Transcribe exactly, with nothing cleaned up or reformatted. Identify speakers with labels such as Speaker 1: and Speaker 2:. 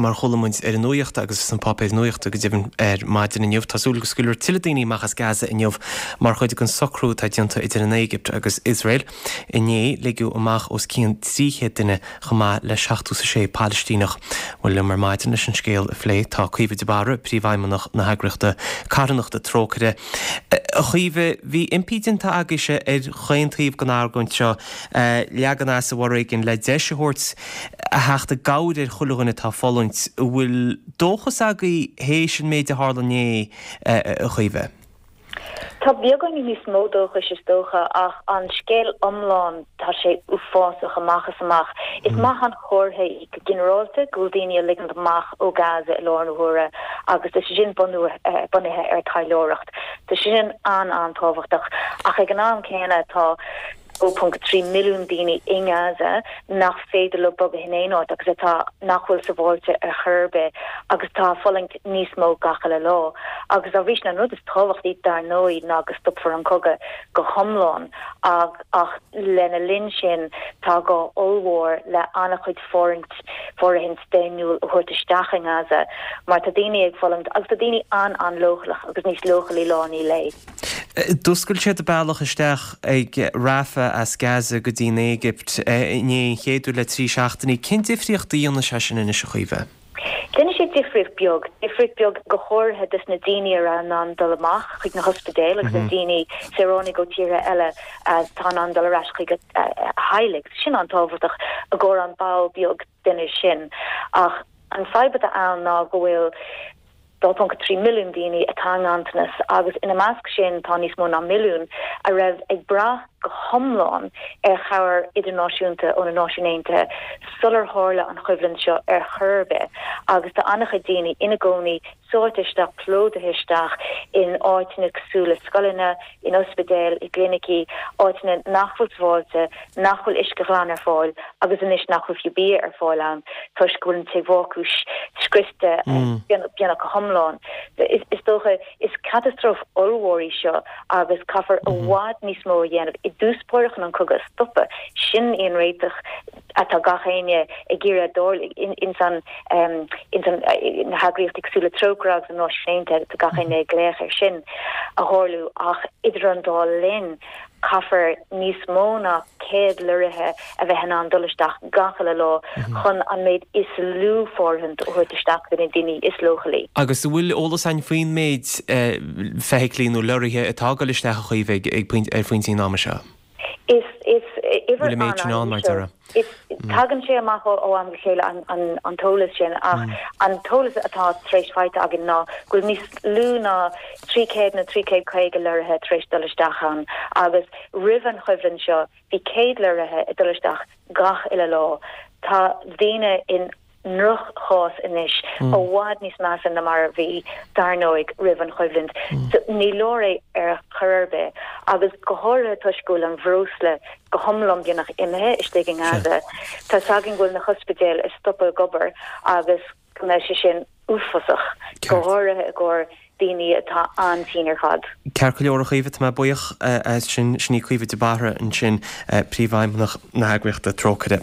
Speaker 1: Mar chuala muid ar an nuacht agus sna páipéir nuachta go deimhin ar maidin inniu, tá súil go scaoilfear tuilleadh daoine amach as Gaza inniu mar chuid den socrú atá déanta idir an Éigipt agus Iosrael. Inné ligeadh amach os cionn trí chéad duine chomh maith le seachtó is a sé Palaistíneach. Bhuel liom ar maidin leis an scéal a phlé tá Caoimhe de Barra, Príomhfheidhmeannach na heagraíochta carthanachta Trócaire. A Chaoimhe, bhí impí déanta agaibhse ar chaon taobh den argóint seo leagan as an bhforéigean le deis a thabhairt a theacht i gcabhair ar chuile dhuine atá ag fulaingt. An bhfuil dóchas agaibh théis an méid a tharla inné, a Chaoimhe?
Speaker 2: Tá beagáinín níos mó dóchais is dócha ach an scéal iomlán tá sé uafásach amach is amach. Is maith an comhartha é go ginearálta go bhfuil daoine á ligint amach ó Gaza i láthair na huaire agus tá sé sin bunaithe ar taidhleoireacht. Tá sé sin an-an-tábhachtach ach ag an am céanna tá dó ponc trí milliún daoine i nGaza nach féidir leo bogadh in aon áit agus atá nach bhfuil sábháilte ar chor ar bith agus atá ag fulaingt níos mó gach uile lá. Agus dá bhrí sin an rud is tábhachtaí dar ndóigh ná go stopfar an cogadh go hiomlán ach ach lena linn sin tá gá ollmhór le an-chuid fóirithint fóirithint daonnúil a thabhairt isteach i nGaza mar tá daoine ag fulaingt agus tá daoine an-an-leochaileach agus níos leochailí lá i ndiaidh lae.
Speaker 1: D'oscail siad bealach isteach ag Rafah as Gaza go dtí an Éigipt inné, an chéad uair le trí seachtainí. Cén difríocht a dhéanfaidh sé sin anois, a Chaoimhe?
Speaker 2: Déanfaidh sé difríocht beag, difríocht beag go háirithe dos na daoine a raibh in ann dul amach chuig na hospidéil agus na daoine, saoránaigh ó tíortha eile atá in ann dul ar ais chuig a theaghlaigh. Sin an-tábhachtach i gcomhair an ball beag duine sin. Ach an fadhb atá ann ná go bhfuil dó ponc trí milliún daoine atá i nganntanas agus ina measc sin tá níos mó ná milliún a raibh ag brath go hiomlán ar chabhair idirnáisiúnta ó na Náisiúin Aontaithe sular tharla an choimhlint seo ar chor ar bith agus tá an-chuid daoine ina gcónaí sáite isteach, plódaithe isteach in áiteanna cosúil le scoileanna, in ospidéil, i gclinicí, áiteanna nach bhfuil sábháilte, nach bhfuil uisce glan ar fáil agus anois nach bhfuil fiú bia ar fáil ann toisc go bhfuil an tigh bhácúis scriosta beagnach go hiomlán. Is dócha, is catastróf ollmhór í seo agus caithfear i bhfad níos mó a dhéanamh i dtús báire chun an cogadh a stopadh. Sin í an réiteach atá gach éinne ag iarraidh dul ins an ins an na heagraíochtaí cosúil le Trócaire agus na Náisiúin Aontaithe, tá gach éinne ag glaoch air sin a tharlú ach idir an dá linn caithfear níos mó ná céad lorraithe a bheith in ann dul isteach gach uile lá chun an méid is lú fóirithint a thabhairt isteach do na daoine is leochailí.
Speaker 1: Agus an bhfuil eolas againn faoin méid feithiclí nó lorraithe atá ag dul isteach a Chaoimhe ag ar phointí an ama seo?
Speaker 2: Is is uimhir
Speaker 1: Bhfuil an méid sin ann, mar
Speaker 2: an-an-íseal.
Speaker 1: déarfá?
Speaker 2: Is tagann sé amach ó am go chéile an an t-eolas sin ach an t-eolas atá tar éis faighte againn ná go bhfuil níos lú ná trí chéad nó trí chéad caoga lorraithe tar éis dul isteach ann agus roimh an choimhlint seo bhí céad lorraithe ag dul isteach gach uile lá. Tá daoine in ndroch-chás anois, i bhfad níos measa ná mar a bhí, dar ndóigh, roimh an choimhlint. So, ní leor é ar chor ar bith, agus go háirithe toisc go bhfuil an bhreosla go hiomlán beagnach imithe istigh i nGaza. Tá's againn go bhfuil na hospidéil ag stopadh ag obair agus go mbeidh sé sin uafásach, go háirithe i gcomhair daoine atá an-tinn ar fad.
Speaker 1: Ceart go leor, a Chaoimhe, tá mé buíoch as sin. Sin í Caoimhe de Barra ansin, Príomhfheidhmeannach na heagraíochta Trócaire.